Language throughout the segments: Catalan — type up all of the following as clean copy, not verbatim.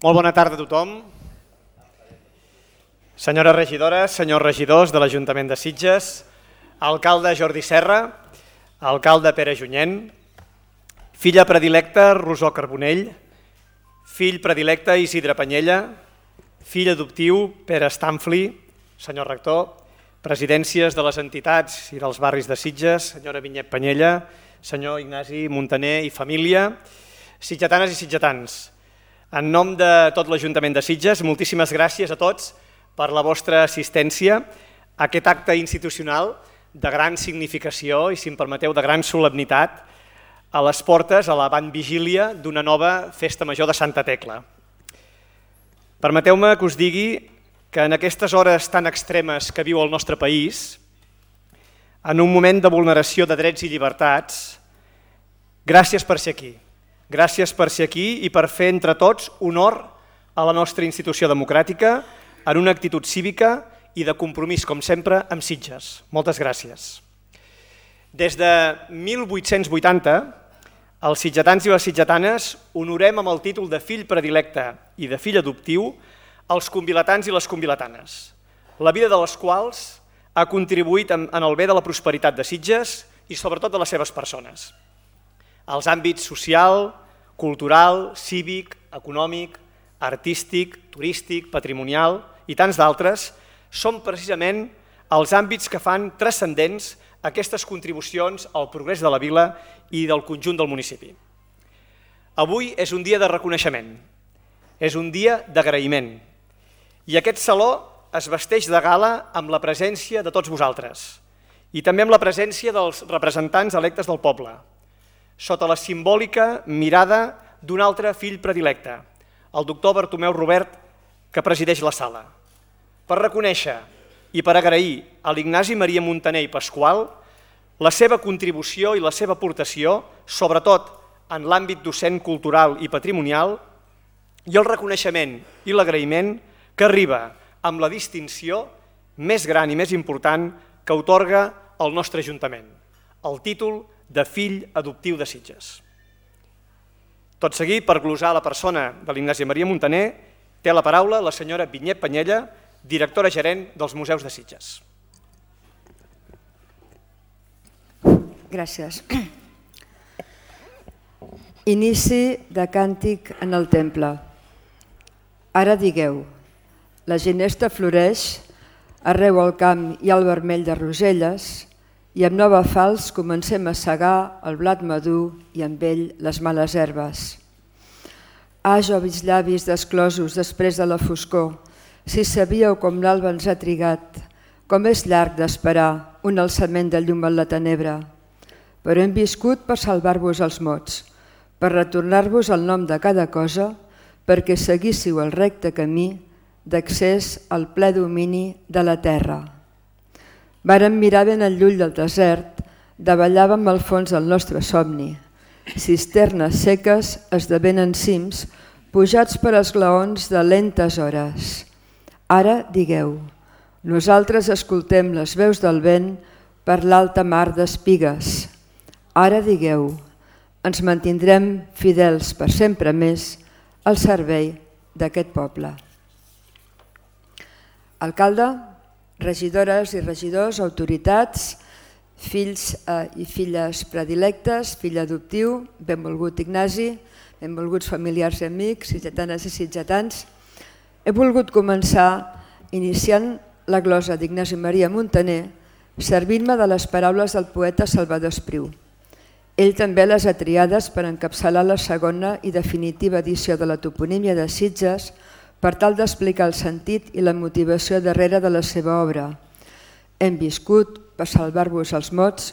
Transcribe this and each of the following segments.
Molt bona tarda a tothom. Senyores regidores, senyors regidors de l'Ajuntament de Sitges, alcalde Jordi Serra, alcalde Pere Junyent, filla predilecta Rosó Carbonell, fill predilecte Isidre Panyella, fill adoptiu Pere Stanfli, senyor rector, presidències de les entitats i dels barris de Sitges, senyora Vinyet Panyella, senyor Ignasi Muntaner i família, sitgetanes i sitgetans. En nom de tot l'Ajuntament de Sitges, moltíssimes gràcies a tots per la vostra assistència a aquest acte institucional de gran significació i, si em permeteu, de gran solemnitat a les portes, a l'avantvigília d'una nova festa major de Santa Tecla. Permeteu-me que us digui que en aquestes hores tan extremes que viu el nostre país, en un moment de vulneració de drets i llibertats, gràcies per ser aquí. Gràcies per ser aquí i per fer entre tots honor a la nostra institució democràtica en una actitud cívica i de compromís, com sempre, amb Sitges. Moltes gràcies. Des de 1880, els sitgetans i les sitgetanes honorem amb el títol de fill predilecte i de fill adoptiu els convilatans i les convilatanes, la vida de les quals ha contribuït en el bé de la prosperitat de Sitges i sobretot de les seves persones. Els àmbits social, cultural, cívic, econòmic, artístic, turístic, patrimonial i tants d'altres són precisament els àmbits que fan transcendents aquestes contribucions al progrés de la vila i del conjunt del municipi. Avui és un dia de reconeixement, és un dia d'agraïment i aquest saló es vesteix de gala amb la presència de tots vosaltres i també amb la presència dels representants electes del poble, sota la simbòlica mirada d'un altre fill predilecte, el doctor Bartomeu Robert, que presideix la sala, per reconèixer i per agrair a l'Ignasi Maria Muntaner i Pasqual la seva contribució i la seva aportació, sobretot en l'àmbit docent, cultural i patrimonial, i el reconeixement i l'agraïment que arriba amb la distinció més gran i més important que atorga el nostre Ajuntament, el títol de fill adoptiu de Sitges. Tot seguit, per glosar la persona de l'Ignasi Maria Muntaner, té la paraula la senyora Vinyet Panyella, directora gerent dels Museus de Sitges. Gràcies. Inici de càntic en el temple. Ara digueu, la ginesta floreix, arreu al camp hi ha el vermell de roselles, i amb nova falç comencem a segar el blat madur i amb ell les males herbes. Ah, joves llavis desclosos després de la foscor, si sabíeu com l'alba ens ha trigat, com és llarg d'esperar un alçament de llum en la tenebra. Però hem viscut per salvar-vos els mots, per retornar-vos el nom de cada cosa, perquè seguíssiu el recte camí d'accés al ple domini de la terra. Vàrem mirar ben al llull del desert, davallàvem al fons del nostre somni. Cisternes seques esdevenen cims, pujats per esglaons de lentes hores. Ara digueu, nosaltres escoltem les veus del vent per l'alta mar d'espigues. Ara digueu, ens mantindrem fidels per sempre més al servei d'aquest poble. Alcalde, regidores i regidors, autoritats, fills i filles predilectes, fill adoptiu, benvolgut Ignasi, benvolguts familiars i amics, sitgetanes i sitgetans. He volgut començar iniciant la glosa d'Ignasi Maria Muntaner servint-me de les paraules del poeta Salvador Espriu. Ell també les ha triades per encapçalar la segona i definitiva edició de la toponímia de Sitges per tal d'explicar el sentit i la motivació darrere de la seva obra. Hem viscut per salvar-vos els mots,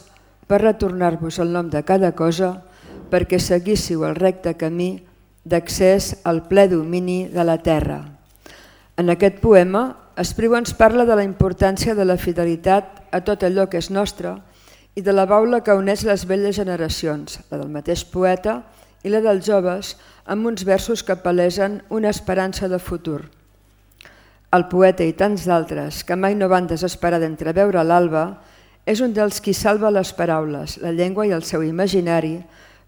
per retornar-vos el nom de cada cosa, perquè seguíssiu el recte camí d'accés al ple domini de la terra. En aquest poema, Espriu ens parla de la importància de la fidelitat a tot allò que és nostre i de la baula que uneix les velles generacions, la del mateix poeta i la dels joves, amb uns versos que palesen una esperança de futur. El poeta i tants d'altres que mai no van desesperar d'entreveure l'alba és un dels qui salva les paraules, la llengua i el seu imaginari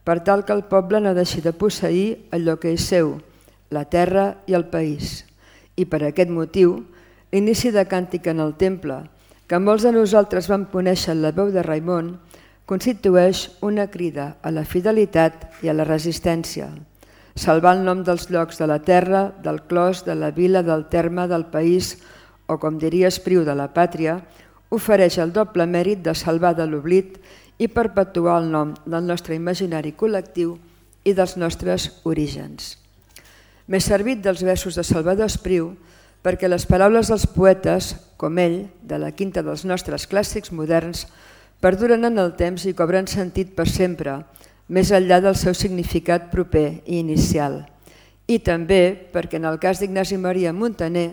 per tal que el poble no deixi de posseir allò que és seu, la terra i el país. I per aquest motiu, l'inici de Càntic en el Temple, que molts de nosaltres vam conèixer en la veu de Raimon, constitueix una crida a la fidelitat i a la resistència. Salvar el nom dels llocs de la terra, del clos, de la vila, del terme, del país, o com diria Espriu, de la pàtria, ofereix el doble mèrit de salvar de l'oblit i perpetuar el nom del nostre imaginari col·lectiu i dels nostres orígens. M'he servit dels versos de Salvador Espriu perquè les paraules dels poetes, com ell, de la quinta dels nostres clàssics moderns, perduren en el temps i cobren sentit per sempre, més enllà del seu significat proper i inicial. I també perquè en el cas d'Ignasi Maria Muntaner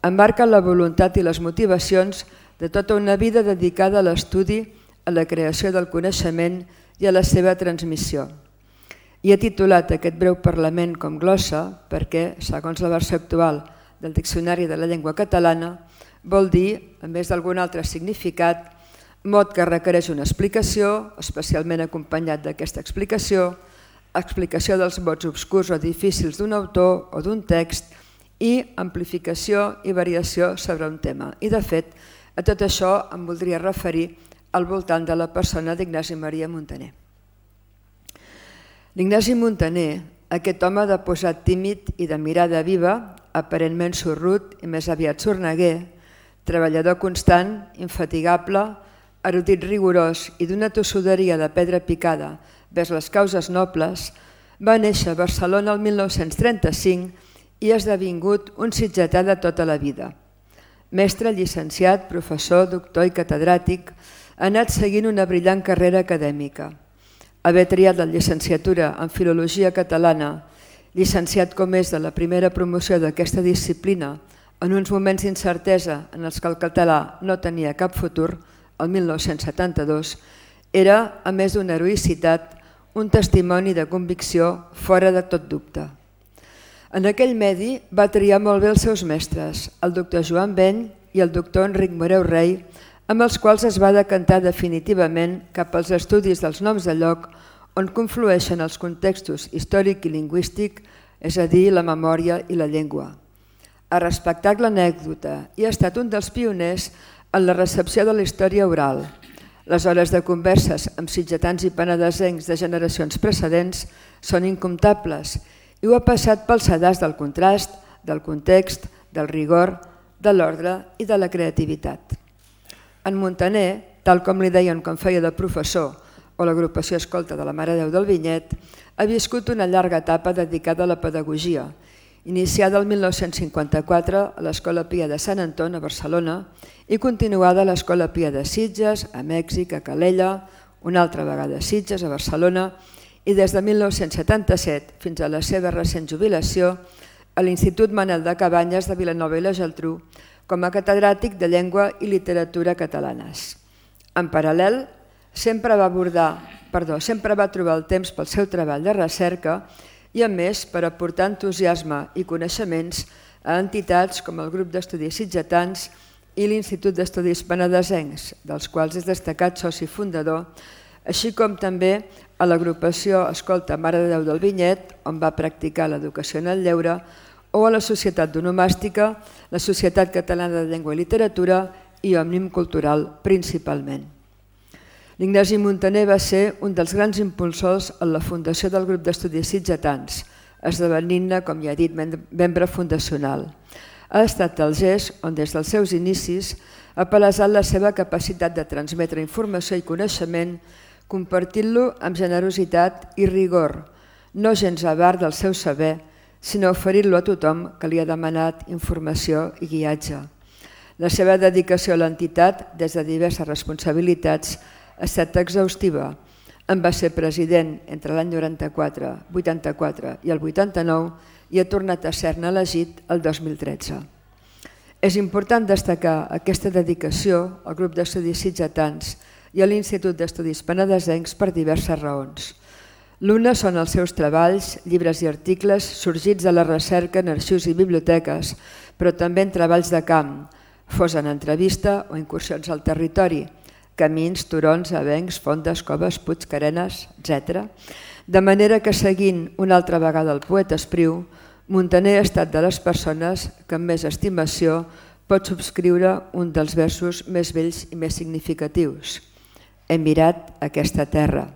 emmarca la voluntat i les motivacions de tota una vida dedicada a l'estudi, a la creació del coneixement i a la seva transmissió. I he titulat aquest breu parlament com glossa perquè, segons la versió actual del Diccionari de la Llengua Catalana, vol dir, a més d'algun altre significat, mot que requereix una explicació, especialment acompanyat d'aquesta explicació, explicació dels mots obscurs o difícils d'un autor o d'un text i amplificació i variació sobre un tema. I de fet, a tot això em voldria referir al voltant de la persona d'Ignasi Maria Muntaner. L'Ignasi Muntaner, aquest home de posat tímid i de mirada viva, aparentment sorrut i més aviat sorneguer, treballador constant, infatigable, erudit rigorós i d'una tossuderia de pedra picada vers les causes nobles, va néixer a Barcelona el 1935 i ha esdevingut un sitgetà de tota la vida. Mestre, llicenciat, professor, doctor i catedràtic, ha anat seguint una brillant carrera acadèmica. Haver triat la llicenciatura en Filologia Catalana, llicenciat com és de la primera promoció d'aquesta disciplina, en uns moments d'incertesa en els que el català no tenia cap futur, el 1972, era, a més d'una heroïcitat, un testimoni de convicció fora de tot dubte. En aquell medi va triar molt bé els seus mestres, el doctor Joan Beny i el doctor Enric Moreu Rey, amb els quals es va decantar definitivament cap als estudis dels noms de lloc on conflueixen els contextos històric i lingüístic, és a dir, la memòria i la llengua. Ha respectat l'anècdota i ha estat un dels pioners en la recepció de la història oral. Les hores de converses amb sitgetans i penedesencs de generacions precedents són incomptables i ho ha passat pel sedàs del contrast, del context, del rigor, de l'ordre i de la creativitat. En Muntaner, tal com li deien quan feia de professor o l'agrupació escolta de la Mare de Déu del Vinyet, ha viscut una llarga etapa dedicada a la pedagogia, iniciada el 1954 a l'Escola Pia de Sant Anton a Barcelona i continuada a l'Escola Pia de Sitges, a Mèxic, a Calella, una altra vegada a Sitges, a Barcelona, i des de 1977 fins a la seva recent jubilació a l'Institut Manel de Cabanyes de Vilanova i la Geltrú com a catedràtic de Llengua i Literatura catalanes. En paral·lel, sempre va trobar el temps pel seu treball de recerca i, a més, per aportar entusiasme i coneixements a entitats com el Grup d'Estudis Sitgetans i l'Institut d'Estudis Penedesencs, dels quals és destacat soci fundador, així com també a l'agrupació Escolta Mare de Déu del Vinyet, on va practicar l'educació en el lleure, o a la Societat d'Onomàstica, la Societat Catalana de Llengua i Literatura i Òmnium Cultural principalment. L'Ignasi Muntaner va ser un dels grans impulsors en la fundació del Grup d'Estudis Sitgetans, esdevenint-ne, com ja he dit, membre fundacional. Ha estat el GES on des dels seus inicis ha palesat la seva capacitat de transmetre informació i coneixement compartint-lo amb generositat i rigor, no gens avar del seu saber, sinó oferir-lo a tothom que li ha demanat informació i guiatge. La seva dedicació a l'entitat, des de diverses responsabilitats, ha estat exhaustiva. En va ser president entre l'any 94, 84 i el 89 i ha tornat a ser-ne elegit el 2013. És important destacar aquesta dedicació al Grup d'Estudis Sitgetans i a l'Institut d'Estudis Penedesencs per diverses raons. L'una són els seus treballs, llibres i articles sorgits de la recerca en arxius i biblioteques, però també en treballs de camp, fos en entrevista o incursions al territori, camins, turons, avencs, fondes, coves, puigs, carenes, etc. De manera que, seguint una altra vegada el poeta Espriu, Muntaner ha estat de les persones que amb més estimació pot subscriure un dels versos més vells i més significatius. He mirat aquesta terra.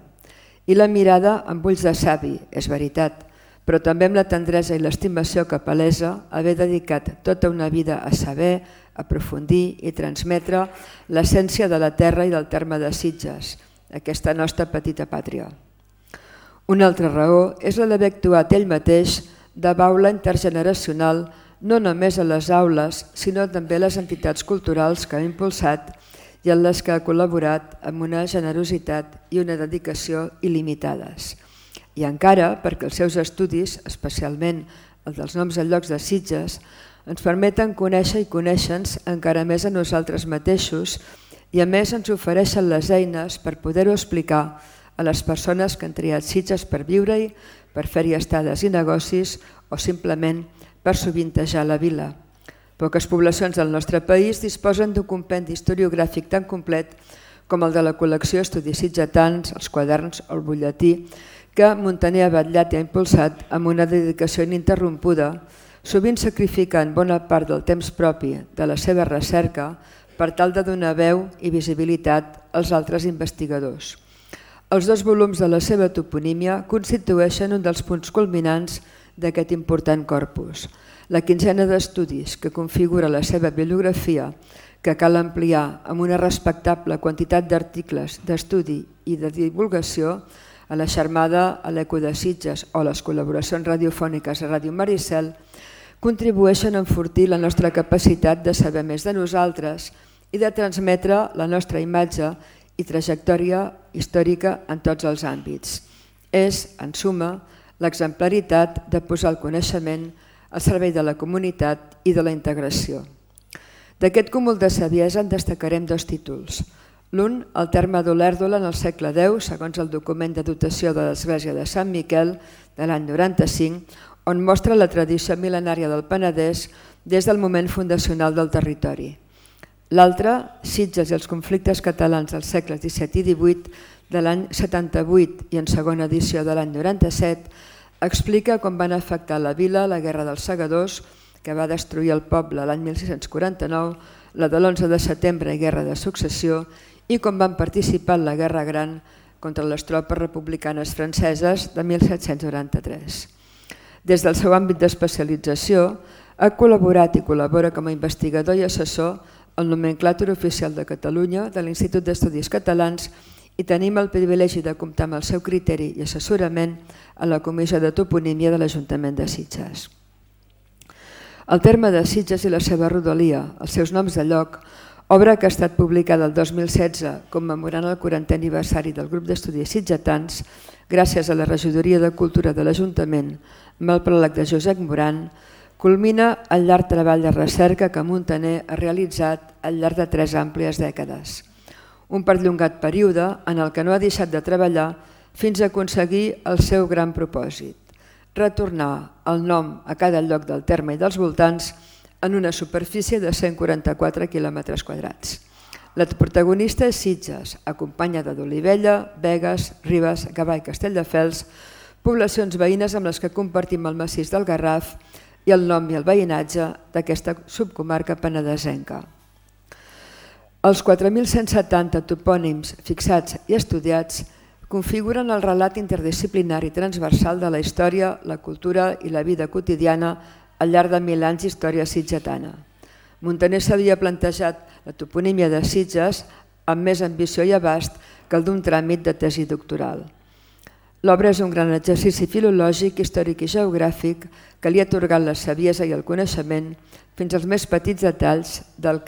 I la mirada amb ulls de savi, és veritat, però també amb la tendresa i l'estimació que palesa haver dedicat tota una vida a saber, aprofundir i transmetre l'essència de la terra i del terme de Sitges, aquesta nostra petita pàtria. Una altra raó és la d'haver actuat ell mateix de baula intergeneracional no només a les aules, sinó també a les entitats culturals que ha impulsat i en les que ha col·laborat amb una generositat i una dedicació il·limitades. I encara perquè els seus estudis, especialment els dels noms de llocs de Sitges, ens permeten conèixer i conèixer-nos encara més a nosaltres mateixos i a més ens ofereixen les eines per poder-ho explicar a les persones que han triat Sitges per viure-hi, per fer-hi estades i negocis o simplement per sovintejar la vila. Poques poblacions del nostre país disposen d'un compendi historiogràfic tan complet com el de la col·lecció Estudis Sitgetans, els quaderns o el butlletí que Muntaner ha vetllat i ha impulsat amb una dedicació ininterrompuda, sovint sacrificant bona part del temps propi de la seva recerca per tal de donar veu i visibilitat als altres investigadors. Els 2 volums de la seva toponímia constitueixen un dels punts culminants d'aquest important corpus. La quinzena d'estudis que configura la seva bibliografia, que cal ampliar amb una respectable quantitat d'articles d'estudi i de divulgació, a la xermada a l'Eco de Sitges o les col·laboracions radiofòniques a Ràdio Maricel, contribueixen a enfortir la nostra capacitat de saber més de nosaltres i de transmetre la nostra imatge i trajectòria històrica en tots els àmbits. És, en suma, l'exemplaritat de posar el coneixement al servei de la comunitat i de la integració. D'aquest cúmul de saviesa en destacarem 2 títols. L'un, el terme d'Olèrdola en el segle X, segons el document de dotació de l'Església de Sant Miquel de l'any 95, on mostra la tradició mil·lenària del Penedès des del moment fundacional del territori. L'altre, Sitges i els conflictes catalans dels segles XVII i XVIII de l'any 78 i en segona edició de l'any 97, explica com van afectar la vila la Guerra dels Segadors, que va destruir el poble l'any 1649, la de l'11 de setembre i Guerra de Successió, i com van participar en la Guerra Gran contra les tropes republicanes franceses de 1793. Des del seu àmbit d'especialització, ha col·laborat i col·labora com a investigador i assessor al Nomenclàtor Oficial de Catalunya de l'Institut d'Estudis Catalans i tenim el privilegi de comptar amb el seu criteri i assessorament a la Comissió de Toponímia de l'Ajuntament de Sitges. El terme de Sitges i la seva rodalia, els seus noms de lloc, obra que ha estat publicada el 2016 commemorant el 40è aniversari del grup d'estudis sitgetans gràcies a la Regidoria de Cultura de l'Ajuntament amb el pròleg de Josep Moran, culmina el llarg treball de recerca que Muntaner ha realitzat al llarg de 3 àmplies dècades. Un perllongat període en el que no ha deixat de treballar fins a aconseguir el seu gran propòsit, retornar el nom a cada lloc del terme i dels voltants en una superfície de 144 quilòmetres quadrats. La protagonista és Sitges, acompanyada d'Olivella, Begues, Ribes, Gavà i Castelldefels, poblacions veïnes amb les que compartim el massís del Garraf i el nom i el veïnatge d'aquesta subcomarca penedesenca. Els 4.170 topònims fixats i estudiats configuren el relat interdisciplinari transversal de la història, la cultura i la vida quotidiana al llarg de 1000 anys d'història sitgetana. Muntaner s'havia plantejat la toponímia de Sitges amb més ambició i abast que el d'un tràmit de tesi doctoral. L'obra és un gran exercici filològic, històric i geogràfic que li ha atorgat la saviesa i el coneixement fins als més petits detalls de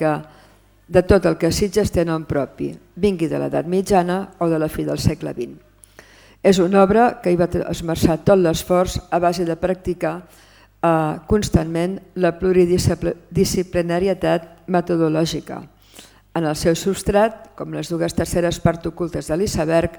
tot el que Sitges té nom propi, vingui de l'edat mitjana o de la fi del segle XX. És una obra que hi va esmerçar tot l'esforç a base de practicar constantment la pluridisciplinarietat metodològica. En el seu substrat, com les 2 terceres parts ocultes de l'iceberg,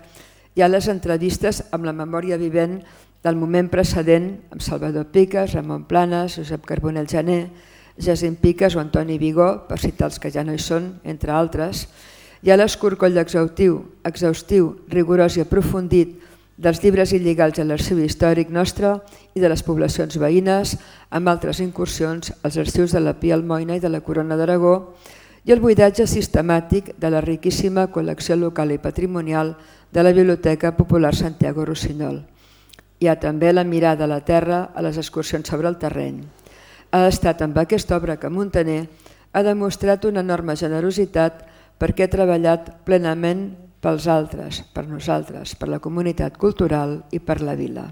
hi ha les entrevistes amb la memòria vivent del moment precedent amb Salvador Piques, Ramon Planes, Josep Carbonell Janer, Jacint Piques o Antoni Vigó, per citar els que ja no hi són, entre altres. Hi ha l'escorcoll exhaustiu, rigorós i aprofundit dels llibres il·legals a l'arxiu històric nostre i de les poblacions veïnes, amb altres incursions als arxius de la Pia Almoina i de la Corona d'Aragó, i el buidatge sistemàtic de la riquíssima col·lecció local i patrimonial de la Biblioteca Popular Santiago Rossinyol. Hi ha també la mirada a la terra a les excursions sobre el terreny. Ha estat amb aquesta obra que Muntaner ha demostrat una enorme generositat perquè ha treballat plenament pels altres, per nosaltres, per la comunitat cultural i per la vila.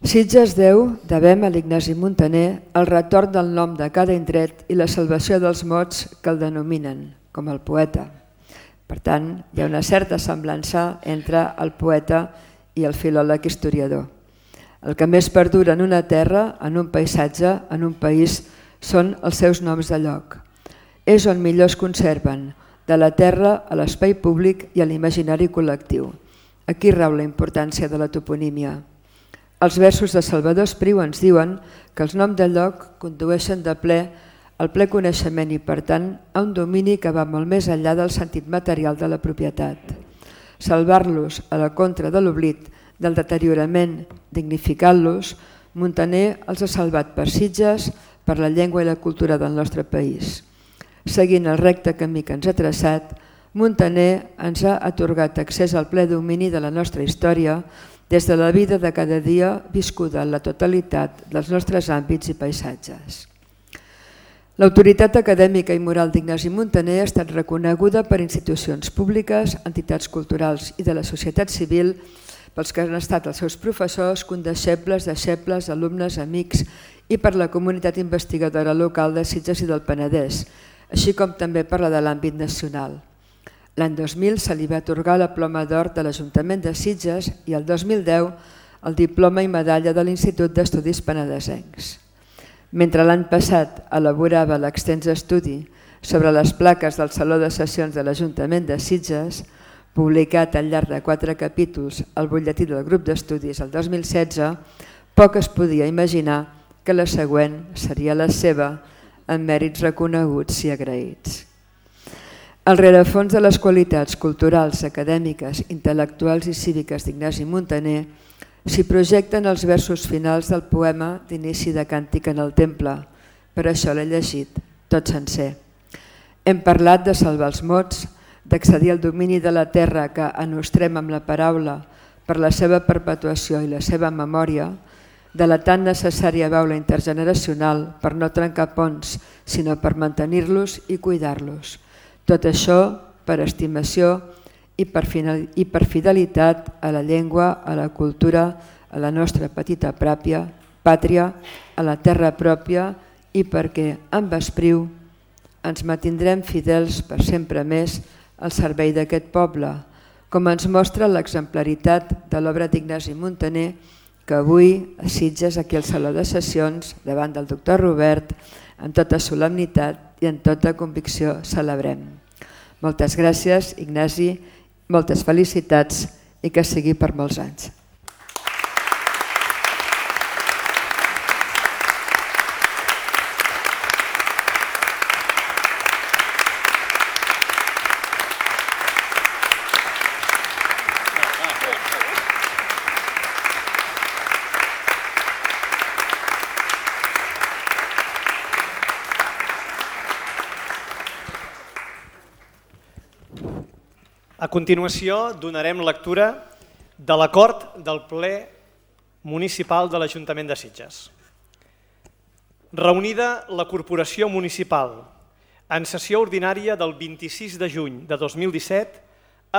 Sitges deu, devem a l'Ignasi Muntaner, el retorn del nom de cada indret i la salvació dels mots que el denominen, com el poeta. Per tant, hi ha una certa semblança entre el poeta i el filòleg historiador. El que més perdura en una terra, en un paisatge, en un país, són els seus noms de lloc. És on millor es conserven, de la terra a l'espai públic i a l'imaginari col·lectiu. Aquí rau la importància de la toponímia. Els versos de Salvador Espriu ens diuen que els noms de lloc condueixen de ple al ple coneixement i, per tant, a un domini que va molt més enllà del sentit material de la propietat. Salvar-los a la contra de l'oblit, del deteriorament, dignificant-los, Muntaner els ha salvat per Sitges, per la llengua i la cultura del nostre país. Seguint el recte camí que ens ha traçat, Muntaner ens ha atorgat accés al ple domini de la nostra història des de la vida de cada dia viscuda en la totalitat dels nostres àmbits i paisatges. L'autoritat acadèmica i moral d'Ignasi Muntaner ha estat reconeguda per institucions públiques, entitats culturals i de la societat civil, pels que han estat els seus professors, condeixebles, deixebles, alumnes, amics i per la comunitat investigadora local de Sitges i del Penedès, així com també per la de l'àmbit nacional. L'any 2000 se li va atorgar la ploma d'or de l'Ajuntament de Sitges i el 2010 el diploma i medalla de l'Institut d'Estudis Penedesencs. Mentre l'any passat elaborava l'extens estudi sobre les plaques del Saló de Sessions de l'Ajuntament de Sitges, publicat al llarg de 4 capítols al butlletí del grup d'estudis el 2016, poc es podia imaginar que la següent seria la seva, amb mèrits reconeguts i agraïts. Al rerefons de les qualitats culturals, acadèmiques, intel·lectuals i cíviques d'Ignasi Muntaner s'hi projecten els versos finals del poema d'inici de Càntic en el Temple. Per això l'he llegit, tot sencer. Hem parlat de salvar els mots, d'accedir al domini de la terra que anostrem amb la paraula per la seva perpetuació i la seva memòria, de la tan necessària baula intergeneracional per no trencar ponts, sinó per mantenir-los i cuidar-los. Tot això per estimació i per fidelitat a la llengua, a la cultura, a la nostra petita pàtria, a la terra pròpia i perquè amb Espriu ens mantindrem fidels per sempre més al servei d'aquest poble, com ens mostra l'exemplaritat de l'obra d'Ignasi Muntaner que avui a Sitges, aquí al Saló de Sessions, davant del doctor Robert, amb tota solemnitat i amb tota convicció celebrem. Moltes gràcies, Ignasi, moltes felicitats i que sigui per molts anys. A continuació donarem lectura de l'acord del ple municipal de l'Ajuntament de Sitges. Reunida la Corporació Municipal en sessió ordinària del 26 de juny de 2017,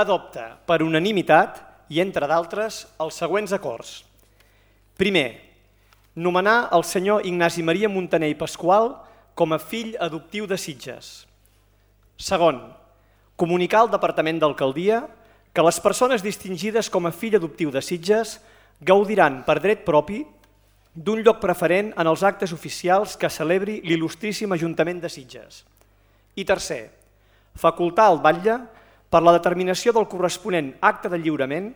adopta per unanimitat i, entre d'altres, els següents acords. Primer, nomenar el senyor Ignasi Maria Muntaner i Pasqual com a fill adoptiu de Sitges. Segon, comunicar al Departament d'Alcaldia que les persones distingides com a fill adoptiu de Sitges gaudiran per dret propi d'un lloc preferent en els actes oficials que celebri l'il·lustríssim Ajuntament de Sitges. I tercer, facultar al batlle per la determinació del corresponent acte de lliurament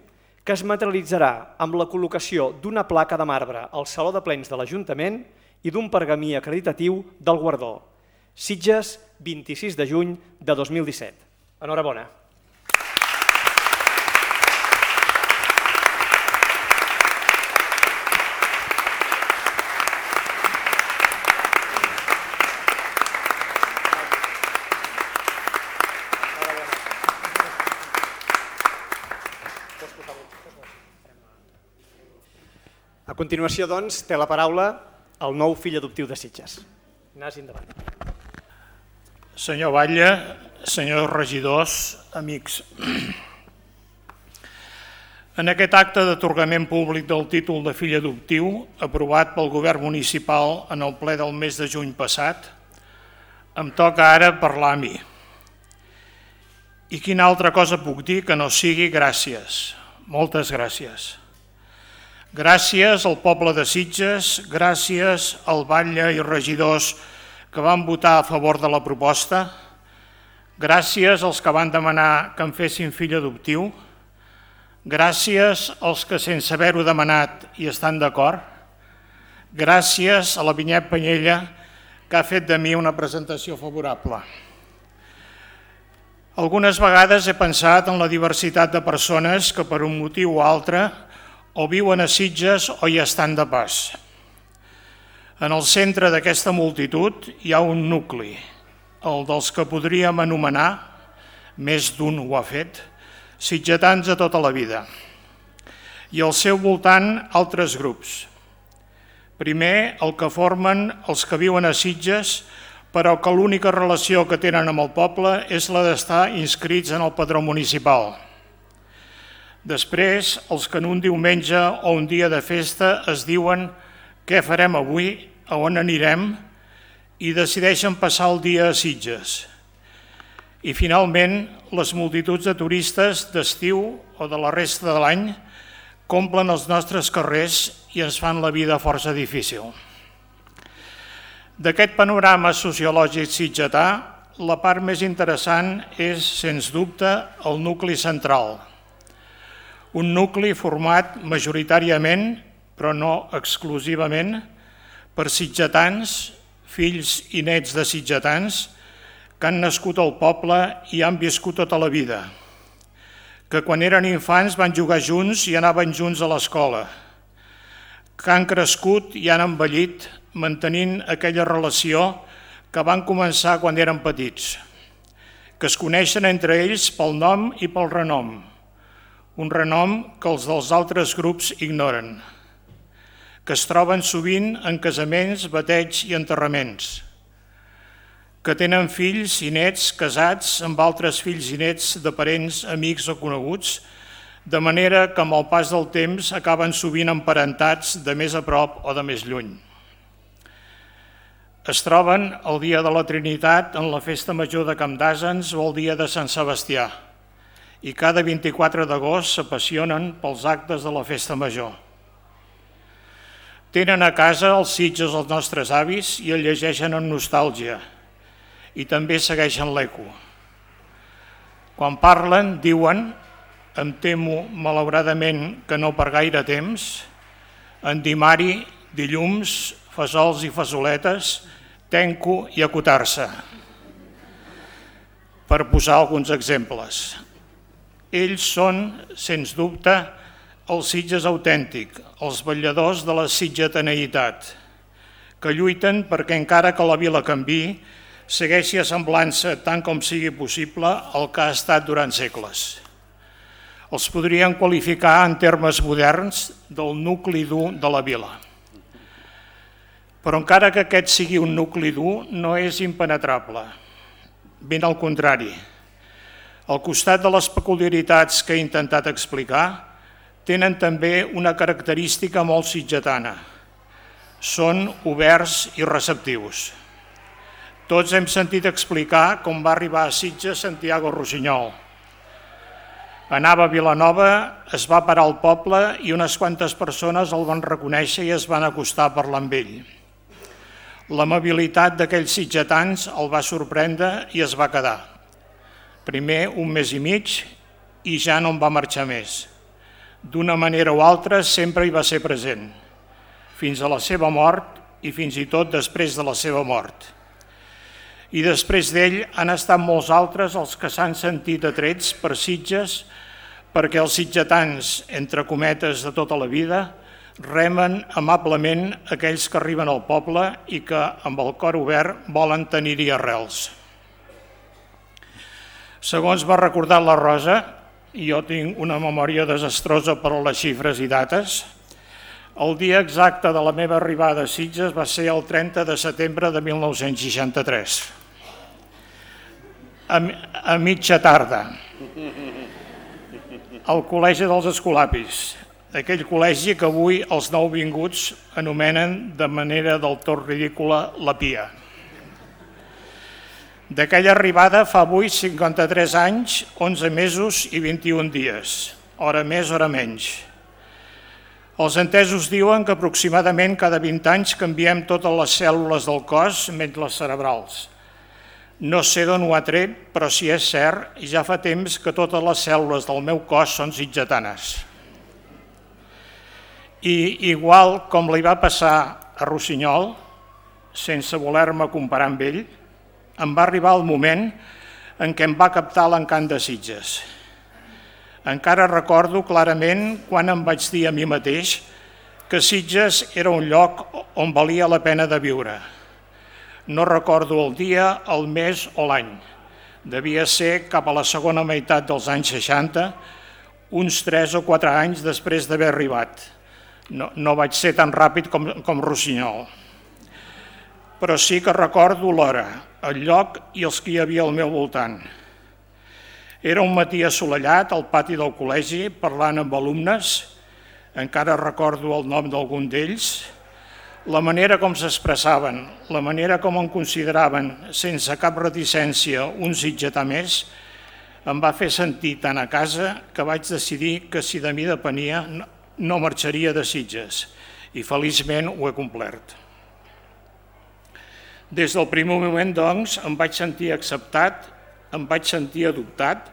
que es materialitzarà amb la col·locació d'una placa de marbre al Saló de Plens de l'Ajuntament i d'un pergamí acreditatiu del guardó. Sitges, 26 de juny de 2017. Enhorabona. continuació, doncs, té la paraula el nou fill adoptiu de Sitges. Ignasi, endavant. Senyor Batlle, senyors regidors, amics. En aquest acte d'atorgament públic del títol de fill adoptiu, aprovat pel govern municipal en el ple del mes de juny passat, em toca ara parlar a mi. I quina altra cosa puc dir que no sigui gràcies, moltes gràcies. Gràcies al poble de Sitges, gràcies al batlle i regidors que van votar a favor de la proposta, gràcies als que van demanar que em fessin fill adoptiu, gràcies als que sense haver-ho demanat hi estan d'acord, gràcies a la Vinyet Penyella que ha fet de mi una presentació favorable. Algunes vegades he pensat en la diversitat de persones que per un motiu o altre o viuen a Sitges o hi estan de pas. En el centre d'aquesta multitud hi ha un nucli, el dels que podríem anomenar, més d'un ho ha fet, sitgetans de tota la vida. I al seu voltant altres grups. Primer, el que formen els que viuen a Sitges, però que l'única relació que tenen amb el poble és la d'estar inscrits en el padró municipal. Després, els que en un diumenge o un dia de festa es diuen què farem avui, a on anirem, i decideixen passar el dia a Sitges. I finalment, les multituds de turistes d'estiu o de la resta de l'any omplen els nostres carrers i ens fan la vida força difícil. D'aquest panorama sociològic sitgetà, la part més interessant és, sens dubte, el nucli central. Un nucli format majoritàriament, però no exclusivament, per sitgetans, fills i nets de sitgetans, que han nascut al poble i han viscut tota la vida, que quan eren infants van jugar junts i anaven junts a l'escola, que han crescut i han envellit mantenint aquella relació que van començar quan eren petits, que es coneixen entre ells pel nom i pel renom, un renom que els dels altres grups ignoren, que es troben sovint en casaments, bateigs i enterraments, que tenen fills i nets casats amb altres fills i nets de parents, amics o coneguts, de manera que amb el pas del temps acaben sovint emparentats de més a prop o de més lluny. Es troben el dia de la Trinitat en la festa major de Camp d'Àsens o el dia de Sant Sebastià, i cada 24 d'agost s'apassionen pels actes de la festa major. Tenen a casa els Sitges els nostres avis i el llegeixen amb nostàlgia, i també segueixen l'eco. Quan parlen, diuen, em temo malauradament que no per gaire temps, endimari, dilluns, fesols i fesoletes, tenco i acotar-se. Per posar alguns exemples. Ells són, sens dubte, el Sitges autèntic, els vetlladors de la sitgetaneïtat, que lluiten perquè encara que la vila canviï, segueixi assemblant-se tant com sigui possible al que ha estat durant segles. Els podrien qualificar en termes moderns del nucli dur de la vila. Però encara que aquest sigui un nucli dur, no és impenetrable. Ben al contrari. Al costat de les peculiaritats que he intentat explicar, tenen també una característica molt sitgetana. Són oberts i receptius. Tots hem sentit explicar com va arribar a Sitges Santiago Rossinyol. Anava a Vilanova, es va parar al poble i unes quantes persones el van reconèixer i es van acostar a parlar amb ell. L'amabilitat d'aquells sitgetans el va sorprendre i es va quedar. Primer un mes i mig i ja no en va marxar més. D'una manera o altra sempre hi va ser present, fins a la seva mort i fins i tot després de la seva mort. I després d'ell han estat molts altres els que s'han sentit atrets per Sitges perquè els sitgetans, entre cometes de tota la vida, remen amablement aquells que arriben al poble i que, amb el cor obert, volen tenir-hi arrels. Segons m'ha recordat la Rosa, i jo tinc una memòria desastrosa per a les xifres i dates, El dia exacte de la meva arribada a Sitges va ser el 30 de setembre de 1963, a mitja tarda, al Col·legi dels Escolapis, aquell col·legi que avui els nouvinguts anomenen de manera del tot ridícula la Pia. D'aquella arribada fa avui 53 anys, 11 mesos i 21 dies, hora més, hora menys. Els entesos diuen que aproximadament cada 20 anys canviem totes les cèl·lules del cos, menys les cerebrals. No sé d'on ho ha tret, però si és cert, ja fa temps que totes les cèl·lules del meu cos són sitgetanes. I igual com li va passar a Rossinyol, sense voler-me comparar amb ell, em va arribar el moment en què em va captar l'encant de Sitges. Encara recordo clarament quan em vaig dir a mi mateix que Sitges era un lloc on valia la pena de viure. No recordo el dia, el mes o l'any. Devia ser cap a la segona meitat dels anys 60, uns 3 o 4 anys després d'haver arribat. No vaig ser tan ràpid com Rossinyol. Però sí que recordo l'hora, el lloc i els que hi havia al meu voltant. Era un matí assolellat al pati del col·legi parlant amb alumnes, encara recordo el nom d'algun d'ells, la manera com s'expressaven, la manera com em consideraven sense cap reticència un sitgetà més, em va fer sentir tant a casa que vaig decidir que si de mi depenia no marxaria de Sitges i feliçment ho he complert. Des del primer moment, doncs, em vaig sentir acceptat, em vaig sentir adoptat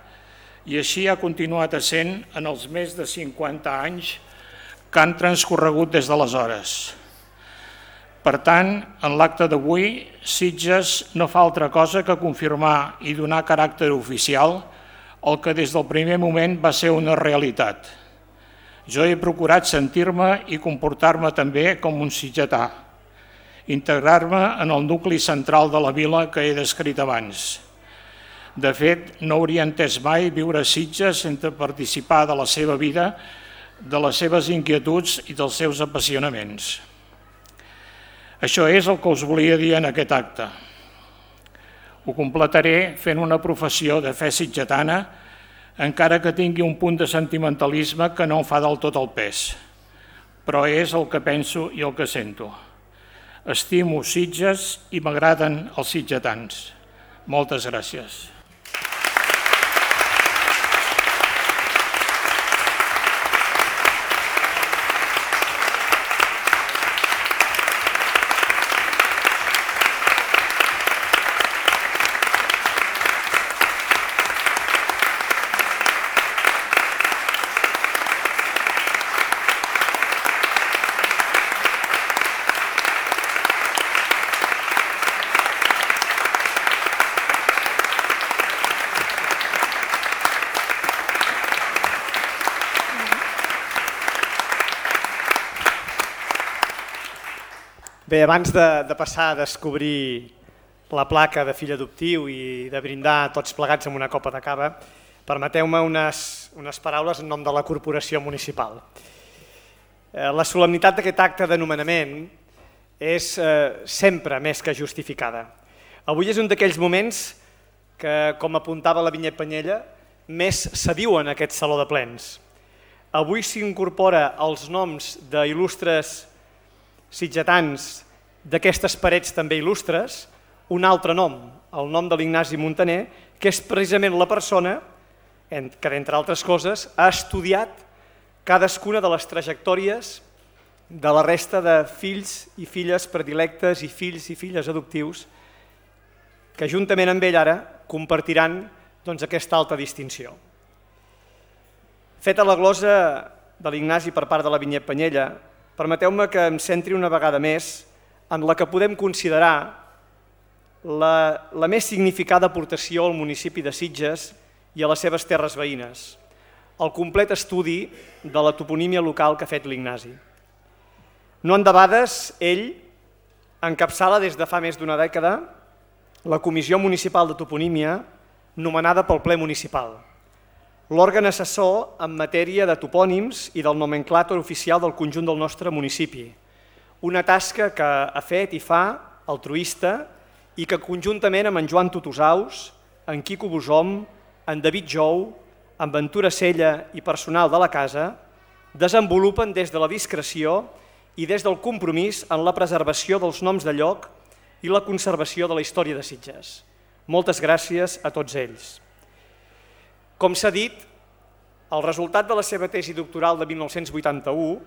i així ha continuat essent en els més de 50 anys que han transcorregut des d'aleshores. Per tant, en l'acte d'avui, Sitges no fa altra cosa que confirmar i donar caràcter oficial el que des del primer moment va ser una realitat. Jo he procurat sentir-me i comportar-me també com un sitgetà, integrar-me en el nucli central de la vila que he descrit abans. De fet, no hauria entès mai viure a Sitges sense participar de la seva vida, de les seves inquietuds i dels seus apassionaments. Això és el que us volia dir en aquest acte. Ho completaré fent una professió de fe sitgetana, encara que tingui un punt de sentimentalisme que no em fa del tot el pes. Però és el que penso i el que sento. Estimo Sitges i m'agraden els sitgetans. Moltes gràcies. Bé, abans de passar a descobrir la placa de fill adoptiu i de brindar tots plegats amb una copa de cava, permeteu-me unes paraules en nom de la corporació municipal. La solemnitat d'aquest acte de nomenament és sempre més que justificada. Avui és un d'aquells moments que, com apuntava la Vinyet Penyella, més se viu en aquest saló de plens. Avui s'incorpora els noms d'il·lustres sitgetans d'aquestes parets també il·lustres, un altre nom, el nom de l'Ignasi Montaner, que és precisament la persona que, entre altres coses, ha estudiat cadascuna de les trajectòries de la resta de fills i filles predilectes i fills i filles adoptius que juntament amb ell ara compartiran aquesta alta distinció. Feta la glosa de l'Ignasi per part de la Vinyet Penyella, permeteu-me que em centri una vegada més en la que podem considerar la més significada aportació al municipi de Sitges i a les seves terres veïnes, el complet estudi de la toponímia local que ha fet l'Ignasi. No endebades, ell encapçala des de fa més d'una dècada la Comissió Municipal de Toponímia nomenada pel ple municipal. l'òrgan assessor en matèria de topònims i del nomenclàtor oficial del conjunt del nostre municipi. Una tasca que ha fet i fa altruista i que conjuntament amb en Joan Tutusaus, en Quico Bosom, en David Jou, en Ventura Sella i personal de la casa, desenvolupen des de la discreció i des del compromís en la preservació dels noms de lloc i la conservació de la història de Sitges. Moltes gràcies a tots ells. Com s'ha dit, el resultat de la seva tesi doctoral de 1981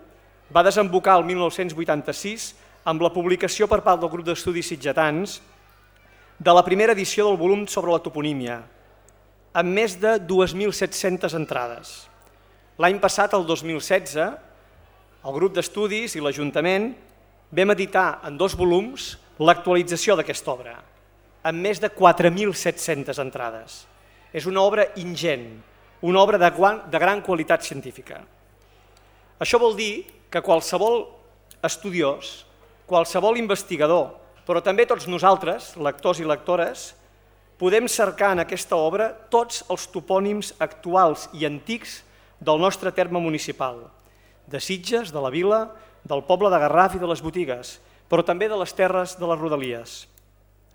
va desembocar el 1986 amb la publicació per part del grup d'estudis sitgetans de la primera edició del volum sobre la toponímia, amb més de 2.700 entrades. L'any passat, el 2016, el grup d'estudis i l'Ajuntament vam editar en 2 volums l'actualització d'aquesta obra, amb més de 4.700 entrades. És una obra ingent, una obra de gran qualitat científica. Això vol dir que qualsevol estudiós, qualsevol investigador, però també tots nosaltres, lectors i lectores, podem cercar en aquesta obra tots els topònims actuals i antics del nostre terme municipal, de Sitges, de la vila, del poble de Garraf i de les botigues, però també de les terres de les rodalies.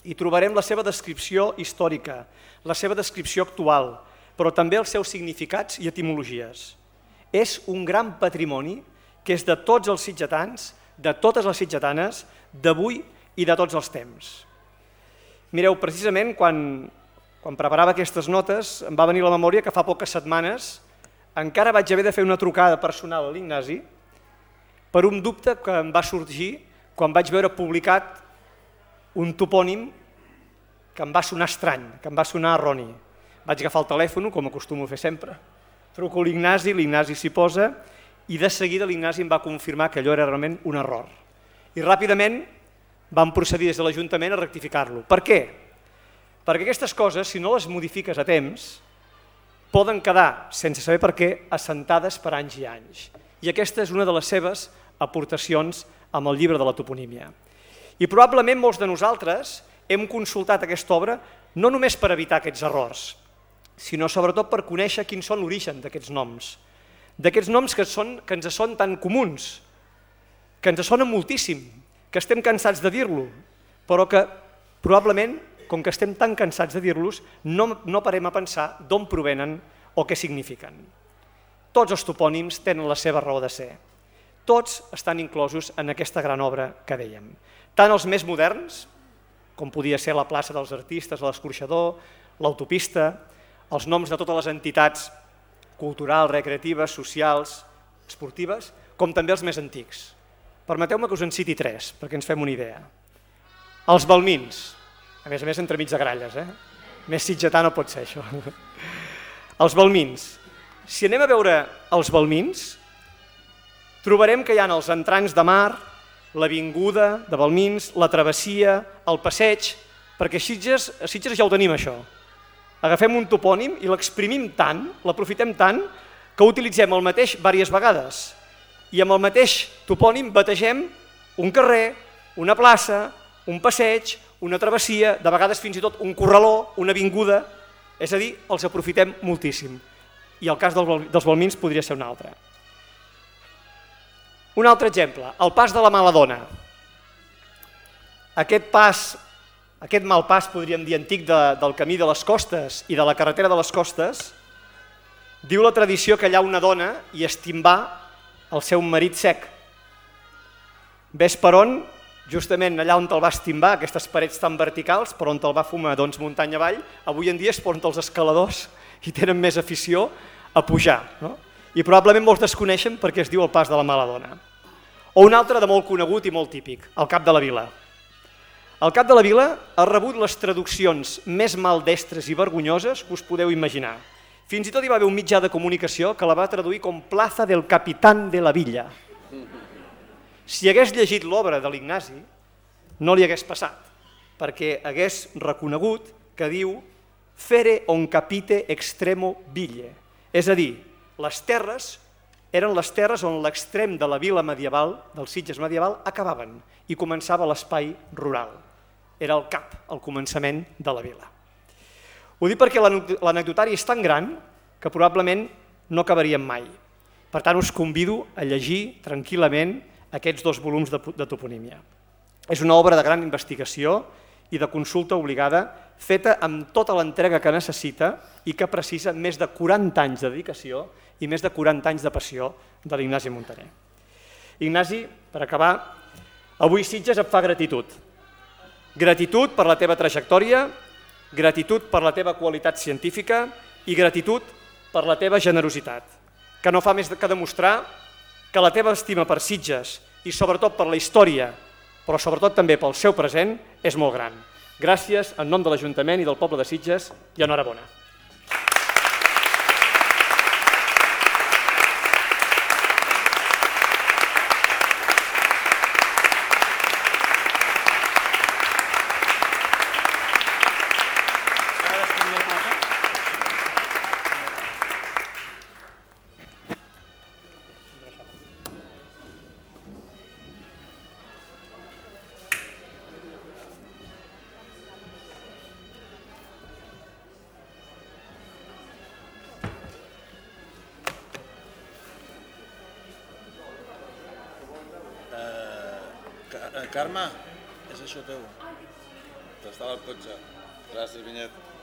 Hi trobarem la seva descripció històrica, la seva descripció actual, però també els seus significats i etimologies. És un gran patrimoni que és de tots els sitgetans, de totes les sitgetanes, d'avui i de tots els temps. Mireu, precisament quan preparava aquestes notes em va venir a la memòria que fa poques setmanes encara vaig haver de fer una trucada personal a l'Ignasi per un dubte que em va sorgir quan vaig veure publicat un topònim que em va sonar estrany, que em va sonar erroni. Vaig agafar el telèfon, com acostumo a fer sempre, truco a l'Ignasi s'hi posa i de seguida l'Ignasi em va confirmar que allò era realment un error. I ràpidament vam procedir des de l'Ajuntament a rectificar-lo. Per què? Perquè aquestes coses, si no les modifiques a temps, poden quedar, sense saber per què, assentades per anys i anys. I aquesta és una de les seves aportacions amb el llibre de la toponímia. I probablement molts de nosaltres hem consultat aquesta obra no només per evitar aquests errors, sinó sobretot per conèixer quins són l'origen d'aquests noms. D'aquests noms que ens són tan comuns, que ens sonen moltíssim, que estem cansats de dir-lo, però que probablement, com que estem tan cansats de dir-los, no parem a pensar d'on provenen o què signifiquen. Tots els topònims tenen la seva raó de ser. Tots estan inclosos en aquesta gran obra que dèiem. Tant els més moderns, com podia ser la plaça dels artistes, l'escorxador, l'autopista, els noms de totes les entitats culturals, recreatives, socials, esportives, com també els més antics. Permeteu-me que us en citi 3, perquè ens fem una idea. Els balmins, a més entremig de gralles, més sitgetà no pot ser això. Els balmins. Si anem a veure els balmins, trobarem que hi ha els entrants de mar, l'avinguda de Balmins, la travessia, el passeig, perquè a Sitges ja ho tenim això. Agafem un topònim i l'exprimim tant, l'aprofitem tant, que utilitzem el mateix diverses vegades. I amb el mateix topònim bategem un carrer, una plaça, un passeig, una travessia, de vegades fins i tot un corraló, una avinguda, és a dir, els aprofitem moltíssim. I el cas dels balmins podria ser un altre. Un altre exemple, el pas de la Maladona. Aquest mal pas, podríem dir, antic del camí de les costes i de la carretera de les costes, diu la tradició que allà una dona hi estimbà el seu marit sec. Ves per on, justament allà on te'l va estimbar, aquestes parets tan verticals, per on te'l va fumar muntanya avall, avui en dia és per on els escaladors hi tenen més afició a pujar. I probablement molts desconeixen perquè es diu el pas de la Maladona. O un altre de molt conegut i molt típic, el Cap de la Vila. El Cap de la Vila ha rebut les traduccions més maldestres i vergonyoses que us podeu imaginar. Fins i tot hi va haver un mitjà de comunicació que la va traduir com Plaza del Capitán de la Villa. Si hagués llegit l'obra de l'Ignasi, no li hagués passat, perquè hagués reconegut que diu Fere on capite extremo ville, és a dir, les terres eren les terres on l'extrem de la vila medieval, del Sitges medieval, acabaven i començava l'espai rural. Era el cap, el començament de la vila. Ho dic perquè l'anecdotari és tan gran que probablement no acabaríem mai. Per tant, us convido a llegir tranquil·lament aquests 2 volums de toponímia. És una obra de gran investigació i de consulta obligada, feta amb tota l'entrega que necessita i que precisa més de 40 anys de dedicació i més de 40 anys de passió de l'Ignasi Muntaner. Ignasi, per acabar, avui Sitges et fa gratitud. Gratitud per la teva trajectòria, gratitud per la teva qualitat científica i gratitud per la teva generositat, que no fa més que demostrar que la teva estima per Sitges i sobretot per la història, però sobretot també pel seu present, és molt gran. Gràcies en nom de l'Ajuntament i del poble de Sitges i enhorabona. Carme, és això teu. T'estava al cotxe. Gràcies, Vinyet.